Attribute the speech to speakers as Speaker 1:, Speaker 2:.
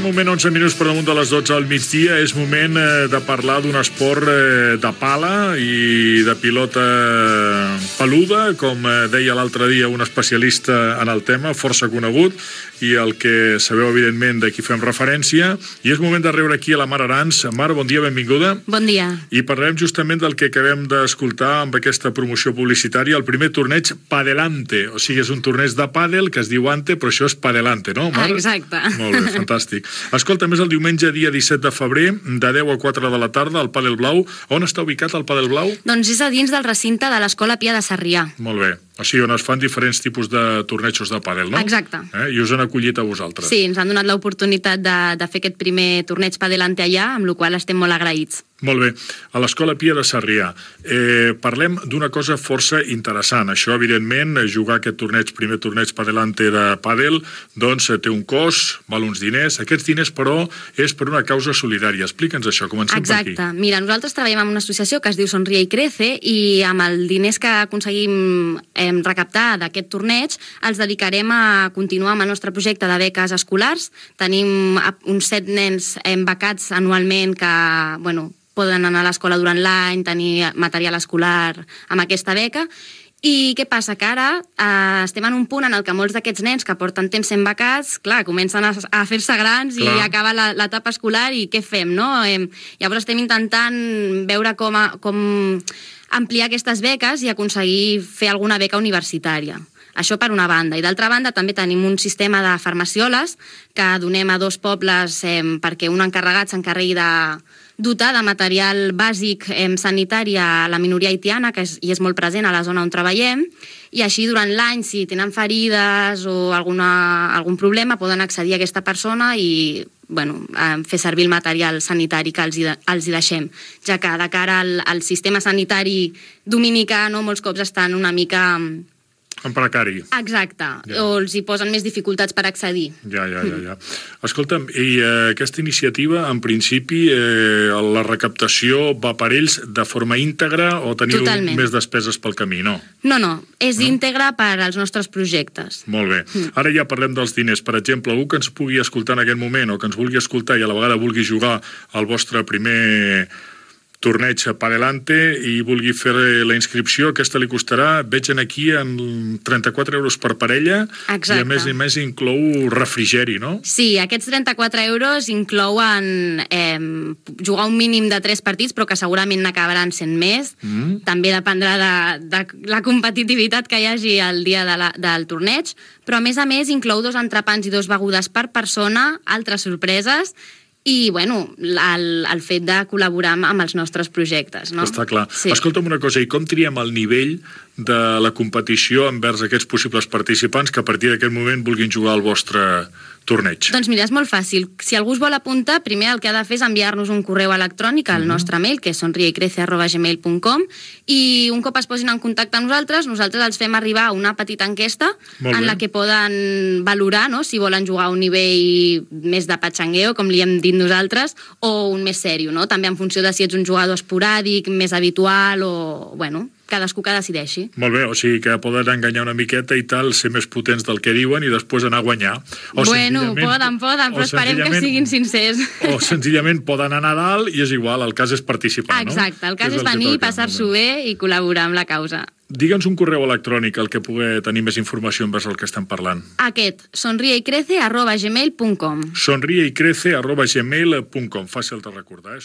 Speaker 1: aquest moment, 11 minuts per damunt de les 12 al migdia, és moment de parlar d'un esport de pala i de pilota peluda, com deia l'altre dia un especialista en el tema, força conegut, i el que sabeu, evidentment, de qui fem referència. I és moment de rebre aquí a la Mar Arans. Mar, bon dia, benvinguda.
Speaker 2: Bon dia.
Speaker 1: I parlarem justament del que acabem d'escoltar amb aquesta promoció publicitària, el primer torneig Padelante. O sigui, és un torneig de pàdel que es diu Ante, però això és Padelante, no, Mar?
Speaker 2: Exacte.
Speaker 1: Molt bé, fantàstic. Escolta, més el diumenge, dia 17 de febrer, de 10 a 4 de la tarda, al Pàdel Blau. On està ubicat el Pàdel Blau?
Speaker 2: Doncs és a dins del recinte de l'Escola Pia de Sarrià.
Speaker 1: Molt bé. O sigui, on es fan diferents tipus de tornejos de pàdel, no?
Speaker 2: Exacte.
Speaker 1: I us han acollit a vosaltres.
Speaker 2: Sí, ens han donat l'oportunitat de fer aquest primer torneig Padelante allà, amb la qual estem molt agraïts.
Speaker 1: Molt bé. A l'Escola Pia de Sarrià. Parlem d'una cosa força interessant. Això, evidentment, jugar aquest torneig, primer torneig Padelante de pàdel, doncs té un cost, val uns diners. Aquests diners, però, és per una causa solidària. Explica'ns això, comencem per aquí.
Speaker 2: Exacte. Mira, nosaltres treballem amb una associació que es diu Sonríe i Crece i amb els diners que aconseguim recaptar d'aquest torneig els dedicarem a continuar amb el nostre projecte de beques escolars. Tenim uns 7 nens becats anualment que, bueno, poden anar a l'escola durant l'any, tenir material escolar amb aquesta beca. I què passa? Que ara estem en un punt en el que molts d'aquests nens que porten temps sent becats, clar, comencen a fer-se grans i acaba l'etapa escolar i què fem, no? Llavors estem intentant veure com ampliar aquestes beques i aconseguir fer alguna beca universitària. Això per una banda. I d'altra banda també tenim un sistema de farmacioles que donem a 2 pobles perquè un encarregat s'encarregui de dotar de material bàsic sanitari a la minoria haitiana, que és molt present a la zona on treballem, i així durant l'any, si tenen ferides o algun problema, poden accedir a aquesta persona i fer servir el material sanitari que els hi deixem, ja que de cara al sistema sanitari dominicà molts cops estan una mica
Speaker 1: en precari.
Speaker 2: Exacte, o els hi posen més dificultats per accedir.
Speaker 1: Ja. Escolta'm, i aquesta iniciativa, en principi, la recaptació va per ells de forma íntegra o teniu més despeses pel camí, no?
Speaker 2: No, és íntegra per als nostres projectes.
Speaker 1: Molt bé. Ara ja parlem dels diners. Per exemple, algú que ens pugui escoltar en aquest moment o que ens vulgui escoltar i a la vegada vulgui jugar al vostre primer torneig Padelante i vulgui fer la inscripció, aquesta li costarà, veig aquí, en 34 euros per parella.
Speaker 2: Exacte.
Speaker 1: I a més inclou refrigeri, no?
Speaker 2: Sí, aquests 34 euros inclouen jugar un mínim de 3 partits, però que segurament n'acabaran sent més. També dependrà de la competitivitat que hi hagi el dia del torneig, però a més inclou 2 entrepans i 2 begudes per persona, altres sorpreses, i, el fet de col·laborar amb els nostres projectes, no?
Speaker 1: Està clar.
Speaker 2: Sí.
Speaker 1: Escolta'm una cosa, i com triem el nivell de la competició envers aquests possibles participants que a partir d'aquest moment vulguin jugar al vostre torneig?
Speaker 2: Doncs mira, és molt fàcil. Si algú es vol apuntar, primer el que ha de fer és enviar-nos un correu electrònic al nostre mail, que és sonriecrece@gmail.com, i un cop es posin en contacte amb nosaltres els fem arribar una petita enquesta en la que poden valorar si volen jugar a un nivell més de patxangueo, com li hem dit nosaltres, o un més sèrio, no? També en funció de si ets un jugador esporàdic, més habitual o, cadascú que decideixi.
Speaker 1: Molt bé, o sigui que poden enganyar una miqueta i tal, ser més potents del que diuen i després anar a guanyar.
Speaker 2: Poden, però esperem que siguin sincers.
Speaker 1: O senzillament poden anar a dalt i és igual, el cas és participar, no?
Speaker 2: Exacte, el cas és venir, passar-s'ho bé i col·laborar amb la causa.
Speaker 1: Digue'ns un correu electrònic al que pugui tenir més informació envers el que estem parlant.
Speaker 2: Aquest, sonriecrece@gmail.com.
Speaker 1: sonriecrece@gmail.com. Fàcil de recordar,